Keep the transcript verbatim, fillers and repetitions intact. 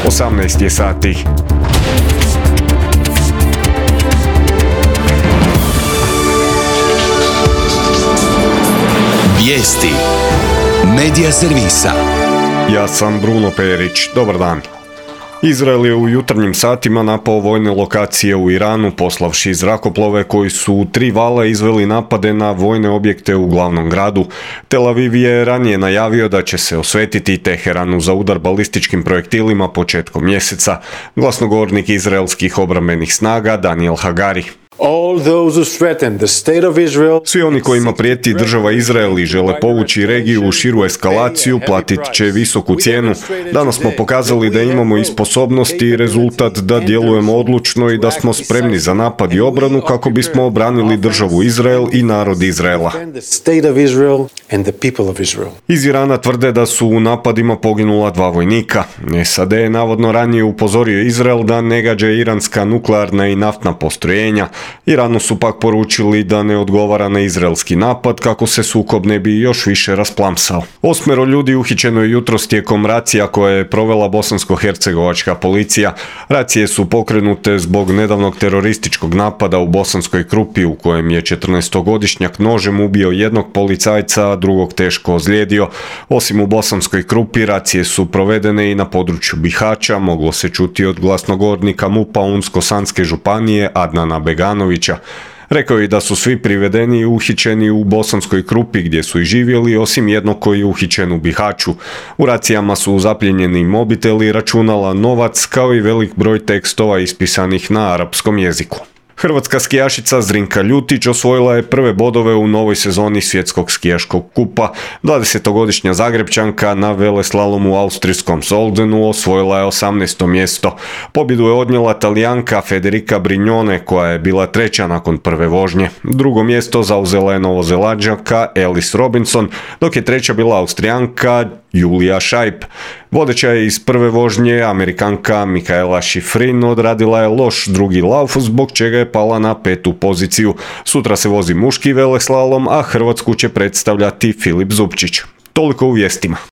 osamnaest je sati. Vijesti Medija servisa. Ja sam Bruno Perić. Dobar dan. Izrael je u jutarnjim satima napao vojne lokacije u Iranu, poslavši zrakoplove koji su u tri vala izveli napade na vojne objekte u glavnom gradu. Tel Aviv je ranije najavio da će se osvetiti Teheranu za udar balističkim projektilima početkom mjeseca. Glasnogovornik izraelskih obrambenih snaga Daniel Hagari. All those who threaten the state of Israel. Svi oni kojima prijeti država Izrael i žele povući regiju u širu eskalaciju platit će visoku cijenu. Danas smo pokazali da imamo i sposobnosti i rezultat da djelujemo odlučno i da smo spremni za napad i obranu kako bismo obranili državu Izrael i narod Izraela. Iz Irana tvrde da su u napadima poginula dva vojnika. S A D je navodno ranije upozorio Izrael da ne gađa iranska nuklearna i naftna postrojenja. Iranu su pak poručili da ne odgovara na izraelski napad kako se sukob ne bi još više rasplamsao. Osmero ljudi uhićeno je jutros tijekom racija koje je provela bosansko-hercegovačka policija. Racije su pokrenute zbog nedavnog terorističkog napada u Bosanskoj Krupi u kojem je četrnaestogodišnjak nožem ubio jednog policajca, a drugog teško ozlijedio. Osim u Bosanskoj Krupi, racije su provedene i na području Bihaća, moglo se čuti od glasnogovornika MUP-a Unsko-Sanske županije Adnana Beganovića. Rekao je da su svi privedeni i uhićeni u Bosanskoj Krupi gdje su i živjeli, osim jednog koji je uhićen u Bihaću. U racijama su zapljenjeni mobiteli, računala, novac kao i velik broj tekstova ispisanih na arapskom jeziku. Hrvatska skijašica Zrinka Ljutić osvojila je prve bodove u novoj sezoni svjetskog skijaškog kupa. dvadesetogodišnja Zagrebčanka na veleslalomu u austrijskom Soldenu osvojila je osamnaesto mjesto. Pobjedu je odnijela Talijanka Federica Brignone koja je bila treća nakon prve vožnje. Drugo mjesto zauzela je Novozelanđanka Alice Robinson, dok je treća bila Austrijanka Julia Scheib. Vodeća je iz prve vožnje Amerikanka Mikaela Schifrin odradila je loš drugi lauf zbog čega je pala na petu poziciju. Sutra se vozi muški veleslalom, a Hrvatsku će predstavljati Filip Zubčić. Toliko u vijestima.